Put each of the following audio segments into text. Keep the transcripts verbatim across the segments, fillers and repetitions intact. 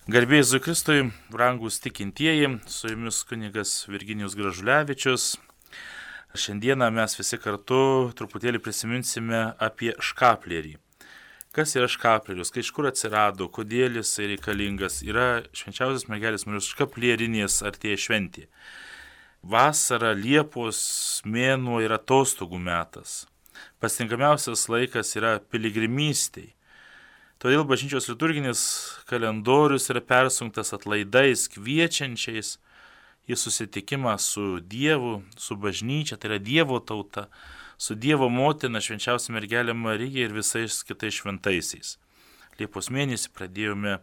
Garbėjai Jėzui Kristui, brangūs tikintieji, su jumis kunigas Virginijus Gražulevičius. Šiandieną mes visi kartu truputėlį prisiminsime apie škaplierį. Kas yra škaplerius, kai iš kur atsirado, kodėl jis reikalingas, yra švenčiausios mergelės Marijos škaplierinės artėja šventė. Vasara, Liepos mėnuo yra atostogų metas. Pasitinkamiausias laikas yra piligrimystei. Todėl bažnyčios liturginis kalendorius yra persunktas atlaidais, kviečiančiais į susitikimą su Dievu, su bažnyčia, tai yra Dievo tauta, su Dievo motina, švenčiausia mergelė Marija ir visais kitais šventaisiais. Liepos mėnesį pradėjome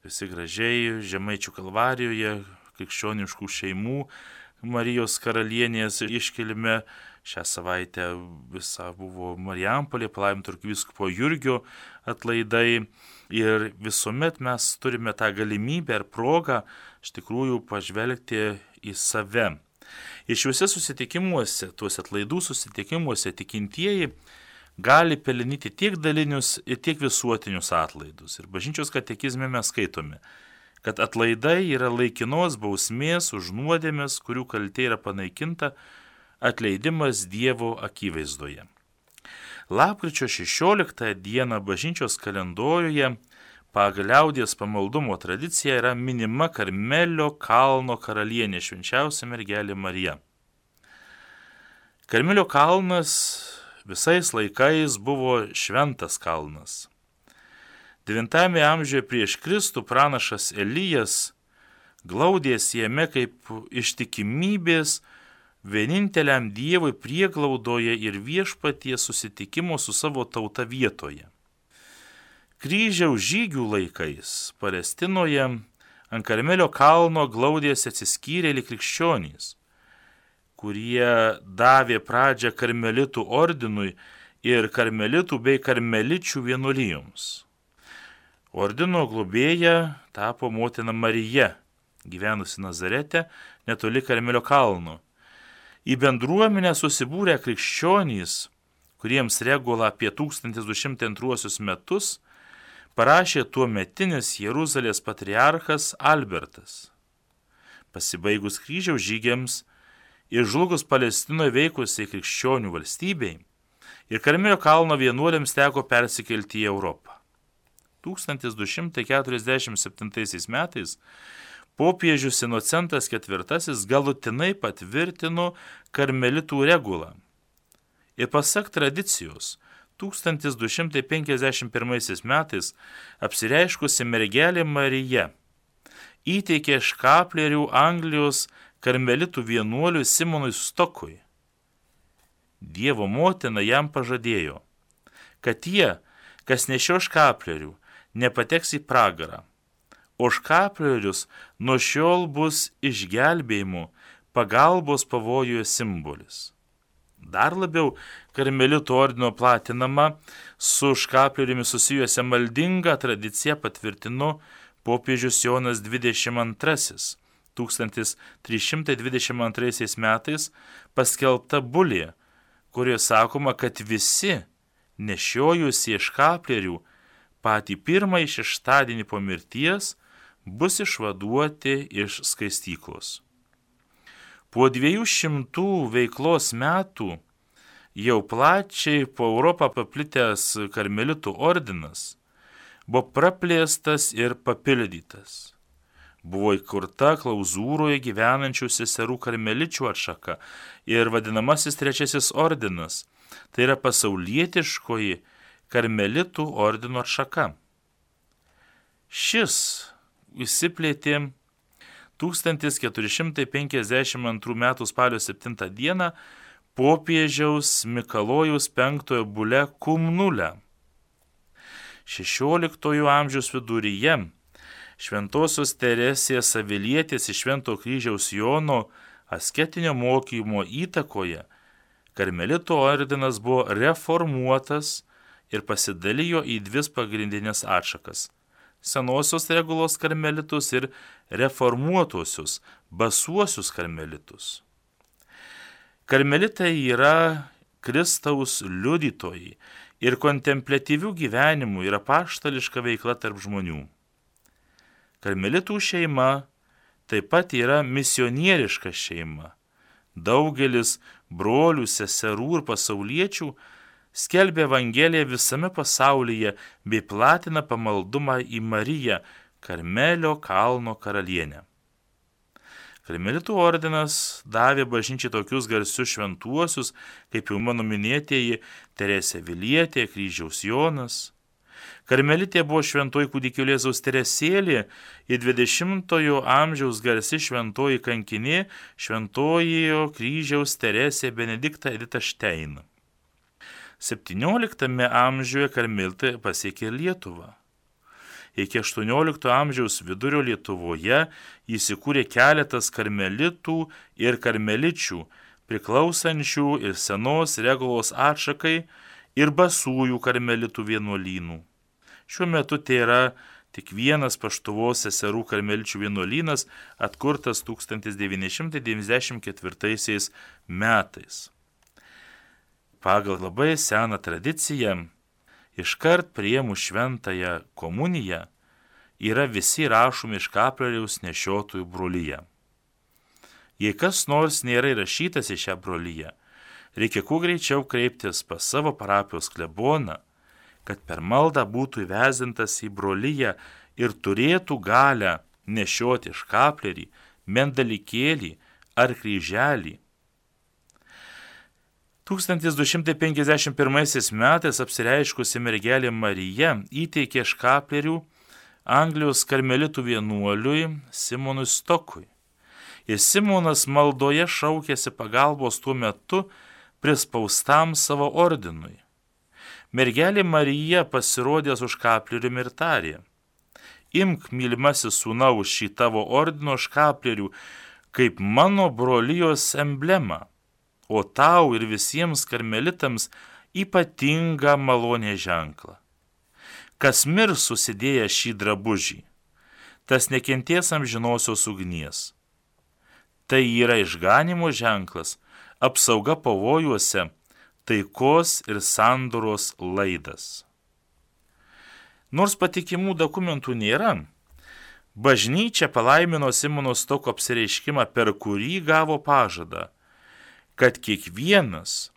visi gražiai Žemaičių kalvarijoje, krikščioniškų šeimų, Marijos karalienės iškilime. Šią savaitę visa buvo Marijampolė, palaiminto arkivyskupo Jurgio atlaidai ir visuomet mes turime tą galimybę ir progą iš tikrųjų pažvelgti į save. Ir šiuose susitikimuose, tuose atlaidų susitikimuose tikintieji gali pelnyti tiek dalinius ir tiek visuotinius atlaidus. Ir bažnyčios katekizme mes skaitome, kad atlaidai yra laikinos bausmės už nuodėmes, kurių kaltė yra panaikinta, atleidimas Dievo akivaizdoje. Lapkričio šešioliktąją dieną bažnyčios kalendoriuje pagal liaudies pamaldumo tradicija yra minima Karmelio kalno karalienė švenčiausia mergelė Marija. Karmelio kalnas visais laikais buvo šventas kalnas. devintajame amžiuje prieš Kristų pranašas Elijas glaudėsi jame kaip ištikimybės vieninteliam Dievui prieglaudoje ir viešpaties susitikimo su savo tauta vietoje. Kryžiaus žygių laikais Palestinoje ant Karmelio kalno glaudėsi atsiskyrėliai krikščionys, kurie davė pradžią karmelitų ordinui ir karmelitų bei karmeličių vienuolijoms. Ordino globėja tapo motina Marija, gyvenusi Nazarete netoli Karmelio kalno. Į bendruomenę susibūrę krikščionys, kuriems regula apie tūkstantis du šimtai antruosius metus, parašė tuometinis Jeruzalės patriarchas Albertas. Pasibaigus kryžiaus žygiams ir žlugus Palestinoje veikusiai krikščionių valstybei ir Karmelio kalno vienuoliams teko persikelti į Europą. tūkstantis du šimtai keturiasdešimt septintaisiais metais popiežius Inocentas ketvirtasis galutinai patvirtino karmelitų regulą. Ir pasak tradicijos, tūkstantis du šimtai penkiasdešimt pirmaisiais metais apsireiškusi mergelė Marija įteikė škaplerių Anglijos karmelitų vienuoliui Simonui Stokui. Dievo motina jam pažadėjo, kad tie, kas nešio škaplerių, nepateks į pragarą, o škaplerius nuo šiol bus išgelbėjimo, pagalbos pavojuje simbolis. Dar labiau karmelitų ordino platinama su škapleriumi susijusią maldingą tradiciją patvirtino popiežius Jonas dvidešimt antrasis, tūkstantis trys šimtai dvidešimt antraisiais metais paskelbta bulė, kurioje sakoma, kad visi nešiojusie škaplerių patį pirmąjį šeštadienį po mirties bus išvaduoti iš skaistyklos. Po dviejų šimtų veiklos metų jau plačiai po Europą paplitęs karmelitų ordinas buvo praplėstas ir papildytas. Buvo įkurta klauzūroje gyvenančių seserų karmeličių atšaka ir vadinamasis trečiasis ordinas, tai yra pasaulietiškoji karmelitų ordino atšaka. Šis įsiplėtė tūkstantis keturi šimtai penkiasdešimt antrų metų spalio septintą dieną popiežiaus Mikalojaus penktojo bule Cum Nulle. šešioliktojo amžiaus viduryje šventosios Teresės Avilietės iš Švento kryžiaus Jono asketinio mokymo įtakoje karmelitų ordinas buvo reformuotas ir pasidalijo į dvi pagrindinės atšakas – senosios regulos karmelitus ir reformuotosius, basuosius karmelitus. Karmelitai yra Kristaus liudytojai ir kontempliatyvių gyvenimų ir apaštališka veikla tarp žmonių. Karmelitų šeima taip pat yra misionieriška šeima. Daugelis brolių, seserų ir pasauliečių skelbia Evangeliją visame pasaulyje bei platina pamaldumą į Mariją, Karmelio kalno karalienę. Karmelitų ordinas davė bažnyčiai tokius garsius šventuosius, kaip jau mano minėtieji Teresė Avilietė, Kryžiaus Jonas. Karmelitė buvo šventoji kūdikio Jėzaus Teresėlė ir dvidešimtojo amžiaus garsi šventoji kankinė šventojo Kryžiaus Teresė Benedikta Edita Štein. septynioliktame amžiuje karmelitai pasiekė Lietuvą. Iki aštuoniolikto amžiaus vidurio Lietuvoje įsikūrė keletas karmelitų ir karmeličių, priklausančių ir senos Regulos atšakai ir basųjų karmelitų vienuolynų. Šiuo metu tai yra tik vienas Paštuvos seserų karmeličių vienuolynas, atkurtas tūkstantis devyni šimtai devyniasdešimt ketvirtaisiais metais. Pagal labai seną tradiciją, iškart priėmus šventąją komuniją, yra visi rašomi iš kapleriaus nešiotojų brolyje. Jei kas nors nėra įrašytas į šią brolyje, reikia kuo greičiau kreiptis pas savo parapijos kleboną, kad per maldą būtų įvezintas į brolyje ir turėtų galę nešioti škaplerį, mendalikėlį ar kryželį. tūkstantis du šimtai penkiasdešimt pirmaisiais metais apsireiškusi mergelė Marija įteikė škaplerių Anglijos karmelitų vienuoliui Simonui Stokui. Ir Simonas maldoje šaukėsi pagalbos tuo metu prispaustam savo ordinui. Mergelė Marija pasirodė su škapleriumi ir tarė: Imk, mylimasis sūnau, šį tavo ordino škaplerių kaip mano brolijos emblemą, o tau ir visiems karmelitams ypatingą malonės ženklą. Kas mirs susidėjęs šį drabužį, tas nekentės amžinosios ugnies. Tai yra išganimo ženklas, apsauga pavojuose, taikos ir sandoros laidas. Nors patikimų dokumentų nėra, bažnyčia palaimino Simono Stoko apsireiškimą, per kurį gavo pažadą, kad kiekvienas,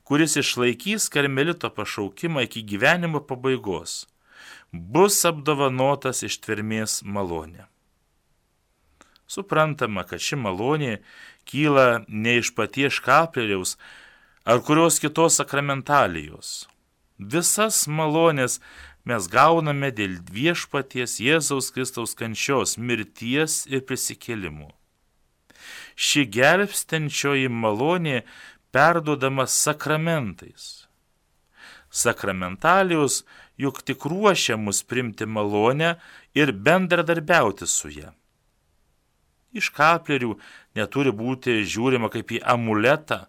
kuris išlaikys karmelito pašaukimą iki gyvenimo pabaigos, bus apdovanotas ištvermės malonė. Suprantama, kad ši malonė kyla ne iš paties škapleriaus ar kurios kitos sakramentalijos. Visas malonės mes gauname dėl viešpaties Jėzaus Kristaus kančios, mirties ir prisikėlimų. Ši gelbstinčioji malonė perduodama sakramentais. Sakramentalijos juk tik ruošia mus priimti malonę ir bendradarbiauti su ja. Iš kaplerių neturi būti žiūrima kaip į amuletą,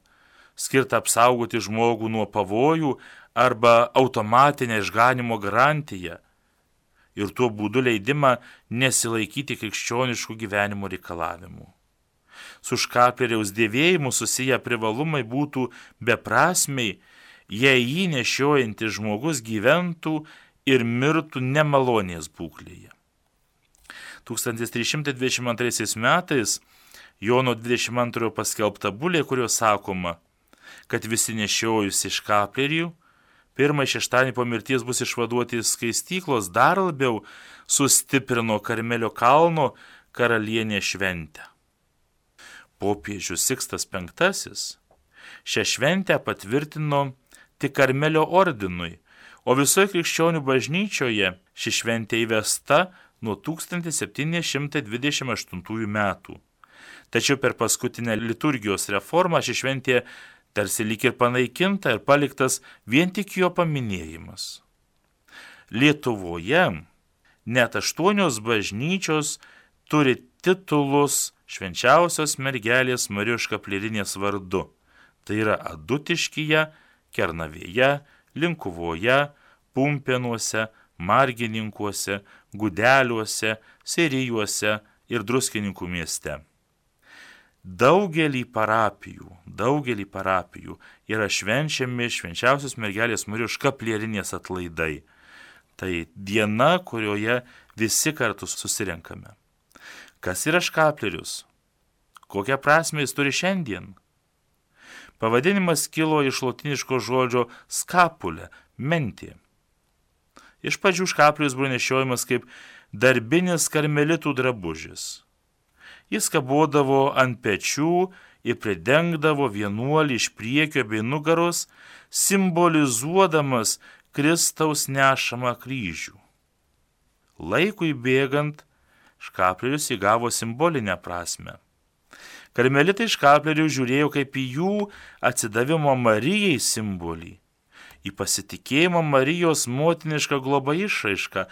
skirtą apsaugoti žmogų nuo pavojų arba automatinę išganimo garantiją ir tuo būdu leidimą nesilaikyti krikščioniškų gyvenimo reikalavimų. Su škapleriaus dėvėjimu susiję privalumai būtų beprasmiai, jei jį nešiojantis žmogus gyventų ir mirtų nemalonės būklėje. tūkstantis trys šimtai dvidešimt antraisiais metais Jono dvidešimt antrojo paskelbta bulė, kurio sakoma, kad visi nešiojusi škaplerį pirmąjį šeštadienį po mirties bus išvaduoti iš skaistyklos, dar labiau sustiprino Karmelio kalno karalienė šventę. Popiežius Sikstas penktasis šią šventę patvirtino tik Karmelio ordinui, o visoje krikščionių bažnyčioje ši šventė įvesta nuo tūkstantis septyni šimtai dvidešimt aštuntųjų metų. Tačiau per paskutinę liturgijos reformą ši šventė tarsi lyg ir panaikinta ir paliktas vien tik jo paminėjimas. Lietuvoje net aštuonios bažnyčios turi titulus švenčiausios mergelės Marijos škaplierinės vardu. Tai yra Adutiškyje, Kernavėje, Linkuvoje, Pumpėnuose, Margininkuose, Gudeliuose, Serijuose ir Druskininkų mieste. Daugelį parapijų, daugelį parapijų yra švenčiami švenčiausios mergelės Marijos škaplierinės atlaidai. Tai diena, kurioje visi kartu susirenkame. Kas yra škaplerius? Kokią prasmę jis turi šiandien? Pavadinimas kilo iš lotiniško žodžio skapulė, mentė. Iš pradžių škaplius buvo nešiojamas kaip darbinis karmelitų drabužis. Jis kabodavo ant pečių ir pridengdavo vienuolį iš priekio bei nugaros, simbolizuodamas Kristaus nešamą kryžių. Laikui bėgant, škaplerius įgavo simbolinę prasme. Karmelitai škaplerių žiūrėjo kaip į jų atsidavimo Marijai simbolį, į pasitikėjimą Marijos motinišką globą išraišką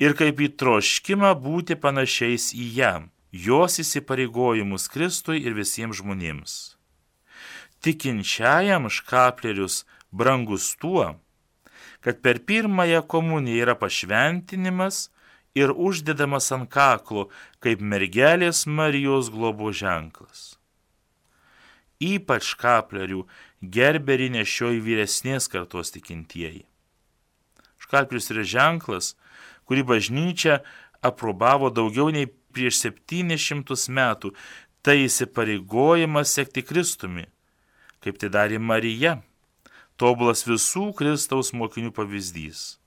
ir kaip į troškimą būti panašiais į ją, jos įsipareigojimus Kristui ir visiems žmonėms. Tikinčiajam škaplerius brangus tuo, kad per pirmąją komuniją yra pašventinimas ir uždedamas ant kaklo kaip mergelės Marijos globos ženklas. Ypač škaplerių gerberį nešioja vyresnės kartos tikintieji. Škaplius yra ženklas, kurį bažnyčia aprobavo daugiau nei prieš septynis šimtus metų. Tai įsipareigojimas sekti Kristumi, kaip tai darė Marija, tobulas visų Kristaus mokinių pavyzdys.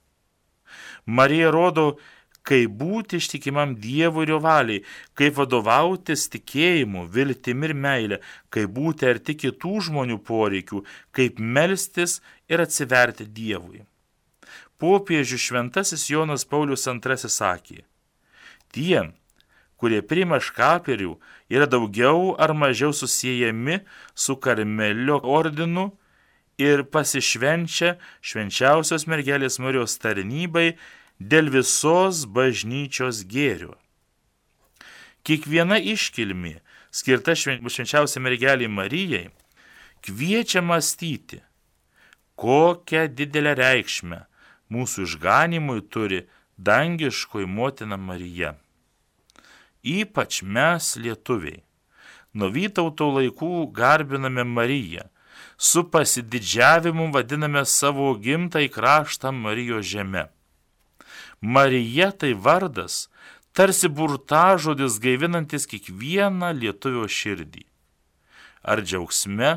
Marija rodo, kaip būti ištikimam Dievui ir jo valiai, kaip vadovautis tikėjimu, viltimi ir meilė, kaip būti arti kitų žmonių poreikių, kaip melstis ir atsiverti Dievui. Popiežius šventasis Jonas Paulius antrasis sakė: tie, kurie priima škaplerių, yra daugiau ar mažiau susijęjami su Karmelio ordinu ir pasišvenčia švenčiausios mergelės Marijos tarnybai dėl visos bažnyčios gėrio. Kiekviena iškilmė, skirta švenčiausiai mergelei Marijai, kviečia mąstyti, kokią didelę reikšmę mūsų išganimui turi dangiškoji motina Marija. Ypač mes, lietuviai, nuo Vytauto laikų garbiname Mariją, su pasididžiavimu vadiname savo gimtąjį kraštą Marijos žeme. Marija tai vardas, tarsi burtažodis gaivinantis kiekvieną lietuvio širdį. Ar džiaugsme,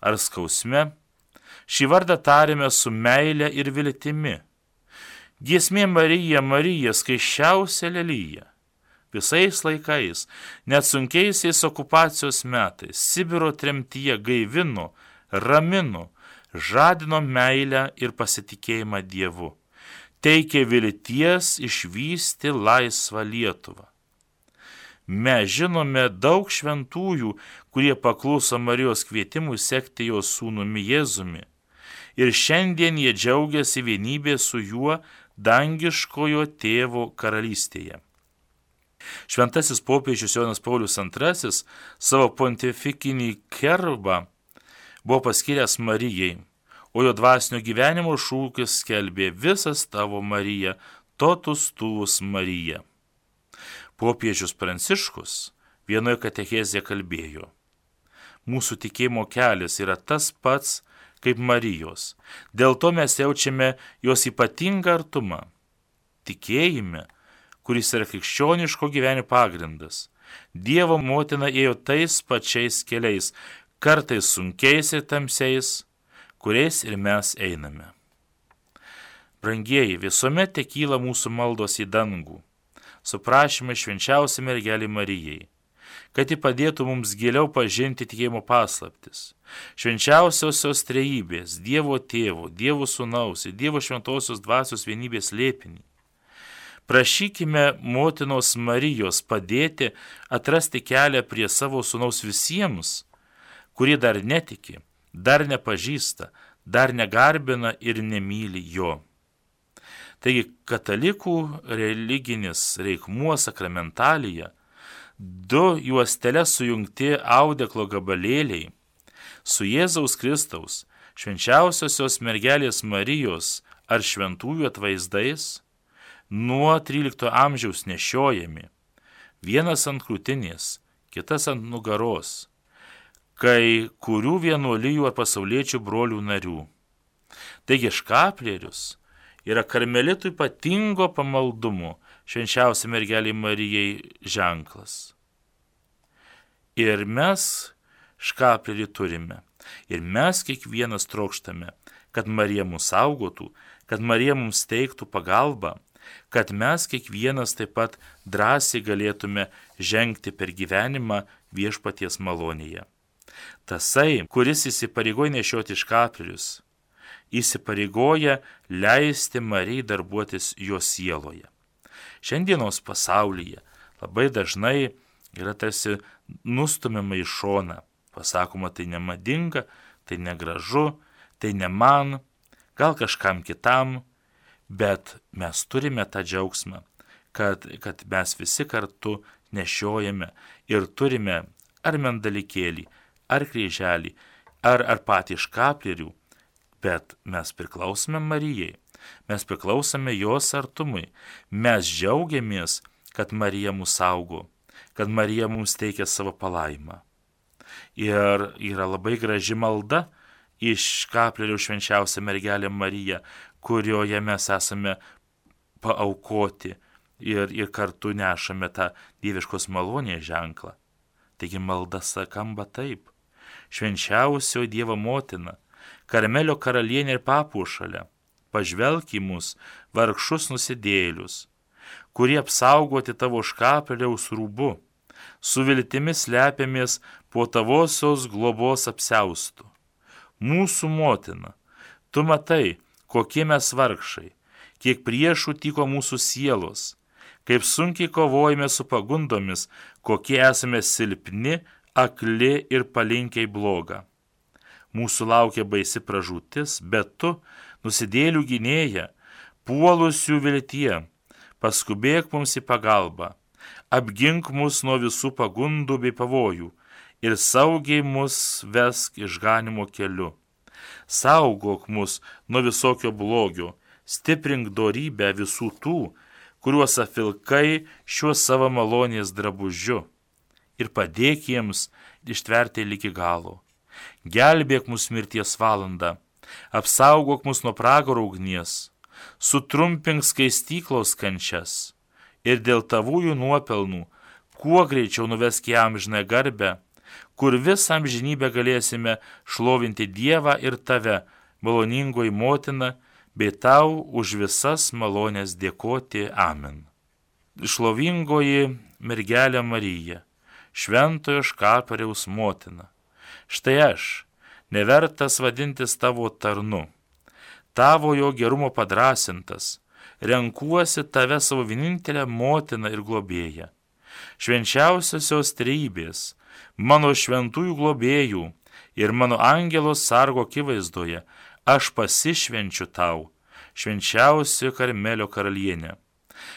ar skausme, šį vardą tarėme su meile ir viltimi. Giesmė Marija, Marija, skaisčiausia lelija. Visais laikais, net sunkiaisiais okupacijos metais, Sibiro tremtyje gaivino, ramino, žadino meilę ir pasitikėjimą Dievu. Teikė vilties išvysti laisvą Lietuvą. Mes žinome daug šventųjų, kurie pakluso Marijos kvietimui sekti jos sūnumi Jėzumi. Ir šiandien jie džiaugiasi vienybė su juo dangiškojo tėvo karalystėje. Šventasis popiežius Jonas Paulius antrasis savo pontifikinį kerbą buvo paskyręs Marijai, o jo dvasinio gyvenimo šūkis skelbė visas tavo Marija, totus tuus Marija. Popiežius Pranciškus vienoje katechezėje kalbėjo: mūsų tikėjimo kelias yra tas pats kaip Marijos, dėl to mes jaučiame jos ypatingą artumą. Tikėjime, kuris yra krikščioniško gyvenimo pagrindas, Dievo motina ėjo tais pačiais keliais, kartais sunkiais ir tamsiais, kuriais ir mes einame. Brangieji, visuomet tekyla mūsų maldos į dangų, su prašymai švenčiausiai mergelei Marijai, kad ji padėtų mums giliau pažinti tikėjimo paslaptis, švenčiausiosios trejybės, Dievo Tėvo, Dievo Sūnaus ir Dievo Šventosios Dvasios vienybės slėpinį. Prašykime motinos Marijos padėti atrasti kelią prie savo Sūnaus visiems, kurie dar netiki, dar nepažįsta, dar negarbina ir nemyli jo. Taigi katalikų religinis reikmuo sakramentalija, du juosteles sujungti audeklo gabalėliai, su Jėzaus Kristaus, švenčiausiosios mergelės Marijos ar šventųjų atvaizdais, nuo trylikto amžiaus nešiojami, vienas ant krūtinės, kitas ant nugaros, kai kurių vienuolijų ar pasauliečių brolių narių. Taigi škaplerius yra karmelitų ypatingo pamaldumo, švenčiausiai mergelei Marijai ženklas. Ir mes škaplerį turime. Ir mes kiekvienas trokštame, kad Marija mus saugotų, kad Marija mums teiktų pagalbą, kad mes kiekvienas taip pat drąsiai galėtume žengti per gyvenimą viešpaties malonėje. Tasai, kuris įsipareigoja nešioti škaplerius, įsipareigoja leisti Marijai darbuotis jo sieloje. Šiandienos pasaulyje labai dažnai yra tarsi nustumiama į šoną. Pasakoma, tai nemadinga, tai negražu, tai ne man, gal kažkam kitam, bet mes turime tą džiaugsmą, kad, kad mes visi kartu nešiojame ir turime ar mendalikėlį, ar kryželį, ar, ar patį škaplerių, bet mes priklausome Marijai, mes priklausome jos artumui, mes džiaugiamės, kad Marija mus saugo, kad Marija mums teikia savo palaimą. Ir yra labai graži malda iš škaplerių švenčiausią mergelę Mariją, kurioje mes esame paaukoti ir, ir kartu nešame tą dieviškos malonės ženklą. Taigi malda skamba taip. Švenčiausio Dievo motina, Karmelio karalienė ir papuošalė, pažvelk į mus, vargšus nusidėjėlius, kurie apsaugoti tavo škapleriaus rūbu, su viltimi slepiamės po tavosios globos apsiaustų. Mūsų motina, tu matai, kokie mes vargšai, kiek priešų tyko mūsų sielos, kaip sunkiai kovojame su pagundomis, kokie esame silpni, akli ir palinkiai blogą. Mūsų laukia baisi pražūtis, bet tu, nusidėlių gynėja, puolusių viltie, paskubėk mums į pagalbą, apgink mus nuo visų pagundų bei pavojų ir saugiai mus vesk išganimo keliu. Saugok mus nuo visokio blogio, stiprink dorybę visų tų, kuriuos apvilkai šiuo savo malonės drabužiu ir padėk jiems ištverti ligi galo. Gelbėk mus mirties valandą, apsaugok mus nuo pragaro ugnies, sutrumpink skaistyklos kančias ir dėl tavųjų nuopelnų kuo greičiau nuvesk į amžinąją garbę, kur visą amžinybę galėsime šlovinti Dievą ir tave, maloningoji motina, bei tau už visas malonės dėkoti. Amen. Šlovingoji mergelė Marija, šventojo škapleriaus motina, štai aš, nevertas vadintis tavo tarnu, tavo jo gerumo padrasintas, renkuosi tave savo vienintelę motiną ir globėją. Švenčiausiosios trejybės, mano šventųjų globėjų ir mano angelo sargo akivaizdoje, aš pasišvenčiu tau, švenčiausioji Karmelio karalienė.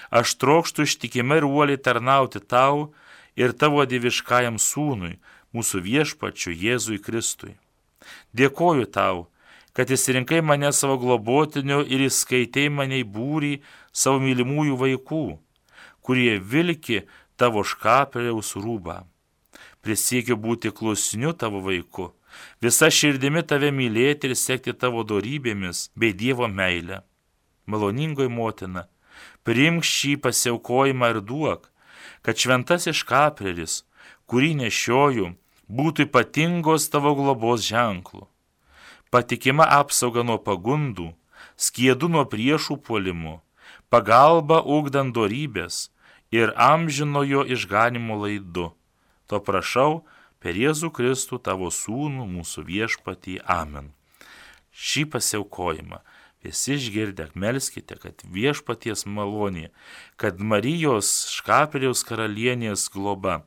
Aš trokštu ištikimai ir uoliai tarnauti tau ir tavo dieviškajam sūnui, mūsų viešpačiui Jėzui Kristui. Dėkoju tau, kad įsirinkai mane savo globotiniu ir įskaitei mane į būrį savo mylimųjų vaikų, kurie vilki tavo škapleriaus rūbą. Prisiekiu būti klusniu tavo vaiku, visa širdimi tave mylėti ir sekti tavo dorybėmis bei Dievo meilę. Maloningoji motina, priimk šį pasiaukojimą ir duok, kad šventasis škapleris, kurį nešioju, būtų ypatingos tavo globos ženklų. Patikima apsauga nuo pagundų, skiedu nuo priešų puolimų, pagalba ugdant dorybės ir amžinojo išganimo laidu. To prašau per Jėzų Kristų tavo sūnų mūsų viešpatį. Amen. Šį pasiaukojimą visi išgirdę melskite, kad viešpaties malonė, kad Marijos škapleriaus karalienės globa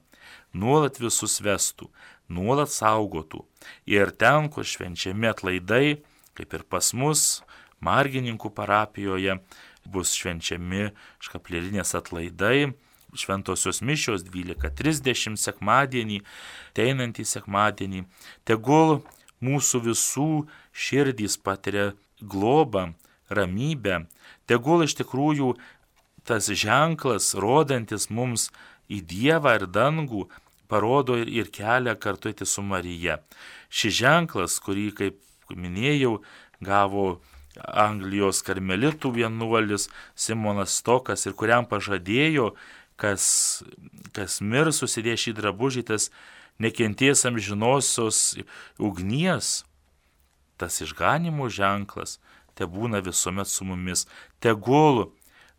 nuolat visus vestų, nuolat saugotų. Ir ten, kur švenčiami atlaidai, kaip ir pas mus, Margininkų parapijoje, bus švenčiami škaplerinės atlaidai, šventosios mišios dvylika trisdešimt sekmadienį, ateinantį sekmadienį. Tegul mūsų visų širdys patiria globą, ramybę. Tegul iš tikrųjų tas ženklas, rodantis mums į Dievą ir dangų, parodo ir, ir kelią kartu eiti su Marija. Šis ženklas, kurį, kaip minėjau, gavo Anglijos karmelitų vienuolis Simonas Stokas ir kuriam pažadėjo, kas, kas mirs susidės šį drabužį, tas nekentės amžinosios ugnies, tas išganimo ženklas, te būna visuomet su mumis, tegul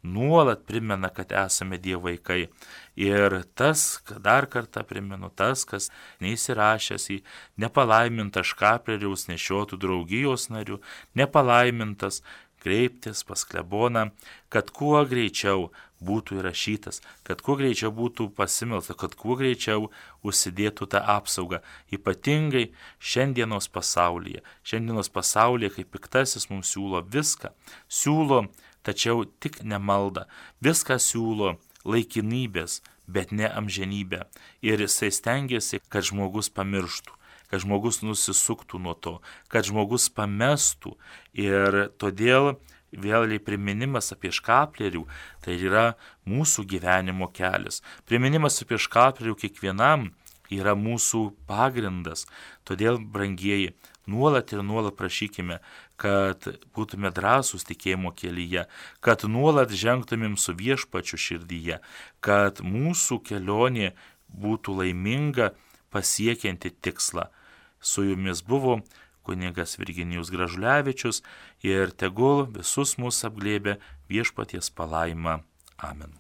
nuolat primena, kad esame Dievo vaikai. Ir tas, dar kartą primenu, tas, kas neįsirašęs į nepalaimintą škapleriaus nešiotų draugijos narių, nepalaimintas, kreiptis pas kleboną, kad kuo greičiau būtų įrašytas, kad kuo greičiau būtų pasimelsta, kad kuo greičiau užsidėtų tą apsaugą. Ypatingai šiandienos pasaulyje. Šiandienos pasaulyje, kai piktasis mums siūlo viską, siūlo tačiau tik ne maldą, viską siūlo laikinybės, bet ne amžinybę. Ir jisai stengiasi, kad žmogus pamirštų, kad žmogus nusisuktų nuo to, kad žmogus pamestų. Ir todėl vėlgi priminimas apie škaplerių, tai yra mūsų gyvenimo kelias. Priminimas apie škaplerių kiekvienam yra mūsų pagrindas. Todėl, brangieji, nuolat ir nuolat prašykime, kad būtume drąsūs tikėjimo kelyje, kad nuolat žengtumėm su Viešpačiu širdyje, kad mūsų kelionė būtų laiminga pasiekianti tikslą. Su jumis buvo kunigas Virginijus Gražulevičius ir tegul visus mus apglėbia Viešpaties palaima. Amen.